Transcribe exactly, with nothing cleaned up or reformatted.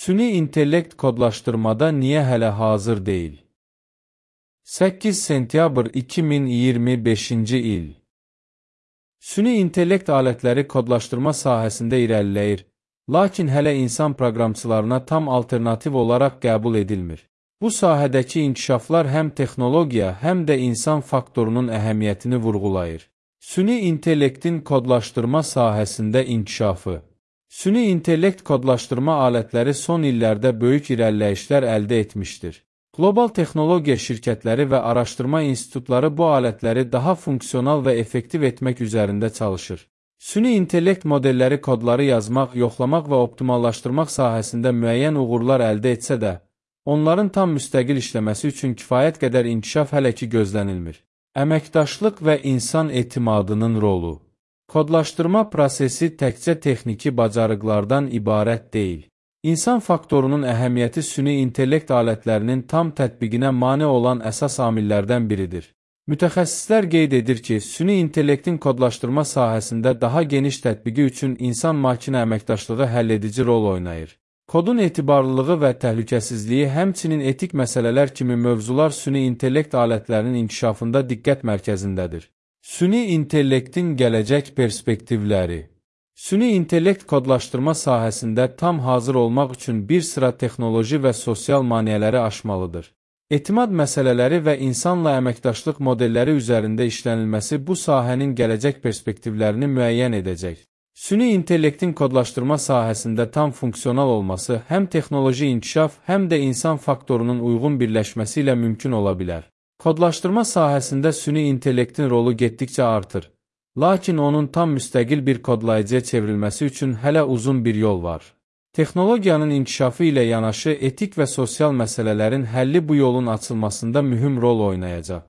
Süni intellekt kodlaşdırmada niyə hələ hazır deyil? səkkiz sentyabr iki min iyirmi beşinci il. Süni intellekt alətləri kodlaşdırma sahəsində irəliləyir, lakin hələ insan proqramçılarına tam alternativ olaraq qəbul edilmir. Bu sahədəki inkişaflar həm texnologiya, həm də insan faktorunun əhəmiyyətini vurğulayır. Süni intellektin kodlaşdırma sahəsində inkişafı. Süni intellekt kodlaşdırma alətləri son illərdə böyük irəliləyişlər əldə etmişdir. Qlobal texnologiya şirkətləri və araşdırma institutları bu alətləri daha funksional və effektiv etmək üzərində çalışır. Süni intellekt modelləri kodları yazmaq, yoxlamaq və optimallaşdırmaq sahəsində müəyyən uğurlar əldə etsə də, onların tam müstəqil işləməsi üçün kifayət qədər inkişaf hələ ki gözlənilmir. Əməkdaşlıq və insan etimadının rolu. Kodlaşdırma prosesi təkcə texniki bacarıqlardan ibarət deyil. İnsan faktorunun əhəmiyyəti süni intellekt alətlərinin tam tətbiqinə mane olan əsas amillərdən biridir. Mütəxəssislər qeyd edir ki, süni intellektin kodlaşdırma sahəsində daha geniş tətbiqi üçün insan-makina əməkdaşlığı həlledici rol oynayır. Kodun etibarlılığı və təhlükəsizliyi, həmçinin etik məsələlər kimi mövzular süni intellekt alətlərinin inkişafında diqqət mərkəzindədir. Süni intellektin gələcək perspektivləri. Süni intellekt kodlaşdırma sahəsində tam hazır olmaq üçün bir sıra texnoloji və sosial maneələri aşmalıdır. Etimad məsələləri və insanla əməkdaşlıq modelləri üzərində işlənilməsi bu sahənin gələcək perspektivlərini müəyyən edəcək. Süni intellektin kodlaşdırma sahəsində tam funksional olması həm texnoloji inkişaf, həm də insan faktorunun uyğun birləşməsi ilə mümkün ola bilər. Kodlaşdırma sahəsində süni intellektin rolu getdikcə artır. Lakin onun tam müstəqil bir kodlayıcıya çevrilməsi üçün hələ uzun bir yol var. Texnologiyanın inkişafı ilə yanaşı etik və sosial məsələlərin həlli bu yolun açılmasında mühüm rol oynayacaq.